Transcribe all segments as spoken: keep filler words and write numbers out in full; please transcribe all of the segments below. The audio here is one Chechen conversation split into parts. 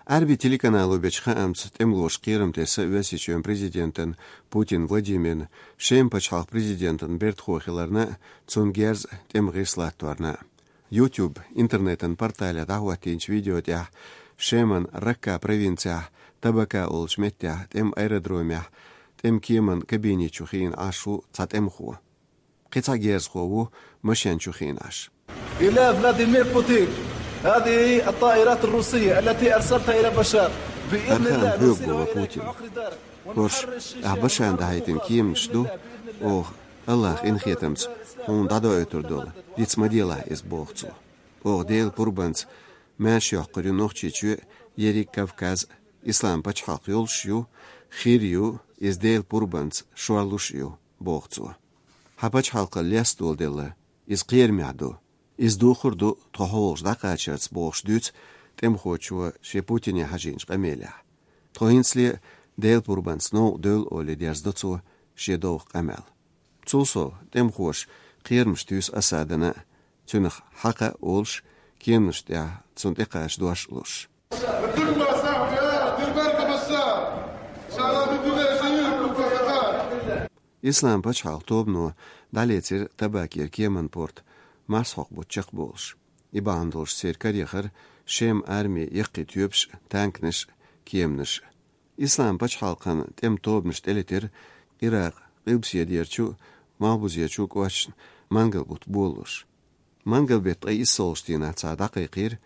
Ӏарбий телеканало бечу хаамца, тӀемалоша кхерам тесна Оьрсийчоьнан президентана Путин Владимирна, Шеман пачхьалкхан президентан бертахо хиларна, цунна герз а, тӀеман гӀирс латторна а. YouTube интернетан портале дӀахӀоттийначу видео тӀехь Шеман Ракка провинцехь Табака олучу меттехь тӀеман аэродромехь тӀеман кеман кабине чу хиъна Ӏаш ву цхьа тӀемахо. Кхин цхьа герзахо ву машен чу хиъна Ӏаш. إلى فلاديمير بوتين، هذه الطائرات الروسية التي أرسلتها إلى بشار. بإذن الله نرسلها إليك في عقر دارك. ХӀорш, ахь Башарна дӀахьийтина кеманаш ду, оха, АллахӀан къинхетамца, хьуна дӀадоуьйтур долу, диц ма делахь иза, боху цо. Оха Делан пурбанца маьрша йоккхур ю Нохчийчоь а, ерриг Кавказ а, Ислам пачхьалкх йолуш а ю, хир а ю, иза Делан пурбанца шорлуш а ю, боху цо. Хьан пачхьалкхана лесталла делла, иза кхерамехь ду. Иза духур ду тхо хьо волчу дӀакхачарца, бохуш дуьйцу тӀемахочо шен Путине хьажийначу къамелехь. Тхо хӀинцале а Делан пурбанца новкъа девлла олий дерзадо цо шен довха къамел. Цул сов, тӀемахоша кхерамаш туьйсу Асадана а, цуьнах хьакха а олуш, кеманаш тӀехь цунна тӀекхача дош а луш. Ислам пачхьалкх тобано дӀалецира Табакера кеман порт, марсхьокху бутт чекхболуш. И бахьана долуш церан карехара Шеман армин яккхий тоьпаш а, танканаш а, кеманаш а. Ислам пачхьалкхан тӀеман тобанаш тӀелетира Иракъан къилбаседерчу а, Малхбузерчу а кӀошташна мангал бутт болалуш. Мангал беттан ткъе иссалгӀачу дийнахь цара дӀакхайкхийра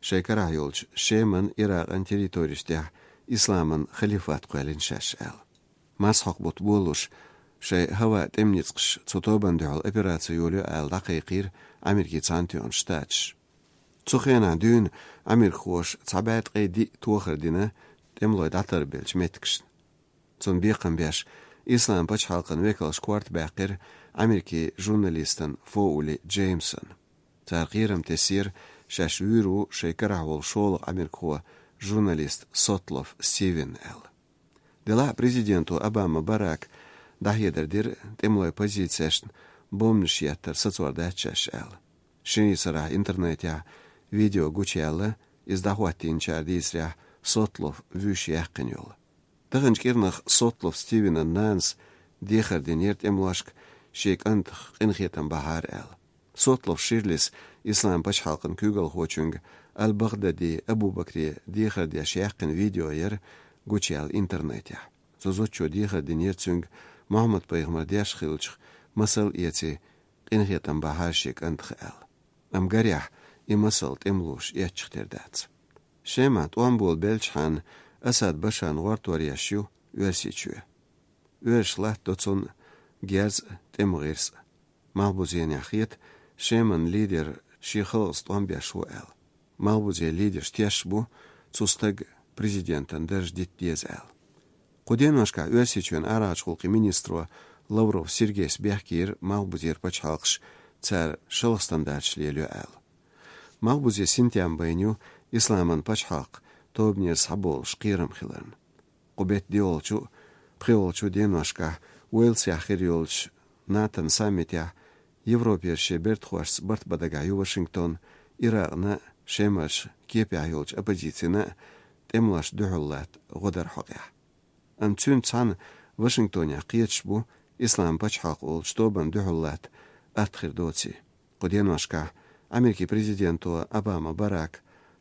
шайн карахь йолчу Шеман, Иракъан территореш тӀехь исламан халифат кхоьллина шаьш аьлла. Марсхьокху бутт болалуш, шайн хӀаваан тӀеман ницкъаша цу тобанна дуьхьал операци йолайо аьлла дӀакхайкхийра Америкин Цхьаьнатоьхна Штаташ. Цу хенахь дуьйна америкахоша цхьа бӀе ткъе диъ тохар дина тӀемалой дӀатарбеллачу меттигашна. Цунна бекхам беш, Ислам пачхьалкхан векалша корта баьккхира Америкин журналистана Фоули Джеймсана. Цара кхерам тесира, шаьш вуьйр ву шайн карахь волу шолгӀа америкахо, журналист Сотлов Стивен аьлла. Делахь а президенто Обама Барака дӀахьедар дира тӀемалой позицешна бомбанаш еттар сацор дац шаьш аьлла. Шинарин сарахь интернетехь видео гучуяьлла, иза дӀахӀоттийначара дийцарехь, Сотлов вуьйш яьккхина йолу. Таханчу кӀирнах Сотлов Стивенан нанас дехар динера тӀемалошка шен кӀантах къинхетам бахьара аьлла. Сотлов Ширлис Ислам пачхьалкхан куьйгалхочуьнга Аль-Багдади Абу-Бакре дехар деш яьккхина видео яра гучуяьлла интернетехь. Цу зудчо дехар динера цуьнга Мухьаммад-пайхамар деш хиллачух масал эций, къинхетам бахьара шен кӀантах аьлла. Амма гарехь, и масал тӀемалоша эцча тера дац. Шемахь тӀом болабеллачхьана Асад Башарна гӀортор еш ю Оьрсийчоь. Оьрсаша латтадо цунна герз а, тӀеман гӀирс а. Малхбузенехь хета, Шеман лидер шен халкъаца тӀом беш ву аьлла. Малхбузен лидерш тешаш бу цу стага президентан дарж дита деза аьлла. Кху деношкахь Оьрсийчоьнан арахьарчу гӀуллакхийн министро Лавров Сергейс бехкийра Малхбузера пачхьалкхаш цара шалха стандарташ лелайо аьлла. Малхбузе синтем байна ю Исламан пачхьалкх тобанера схьаболуш кхерам хиларна. Кху беттан диъолчу а, пхиъолчу а деношкахь Уэльсехь хир йолчу НАТОн саммитехь Европера шен бертахошца барт бан дагахь ю Вашингтон, Иракъна а, Шемарчу кепехь йолчу оппозицина а тӀемалошна дуьхьал латта гӀо дар хьокъехь. Амма цуьнца цхьаьна Вашингтонехь кхеташ бу Ислам пачхьалкх олучу тобанна дуьхьал латта атта хир доций. Кху деношкахь Америкин президенто Обама Барака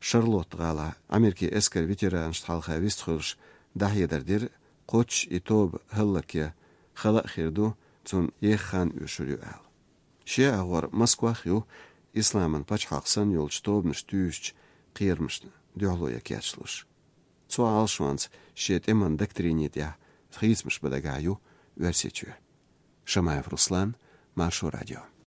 Шарлотт-гӀалахь Америкин эскаран ветеранашна хьалха вистхуьлуш дӀахьедар дира, кхоччуш и тоба хӀаллакъян хала а хир ду, цунна еха хан оьшур ю аьлла. Шен агӀор Москвах а ю Исламан пачхьалкх санна йолчу тобанаш туьйсучу кхерамашна дуьхьало ян кечлуш. Цу Ӏалашонца шен тӀеман доктрини тӀехь хийцамаш бан дагахь ю Оьрсийчоь. Шамаев Руслан, Маршо радио.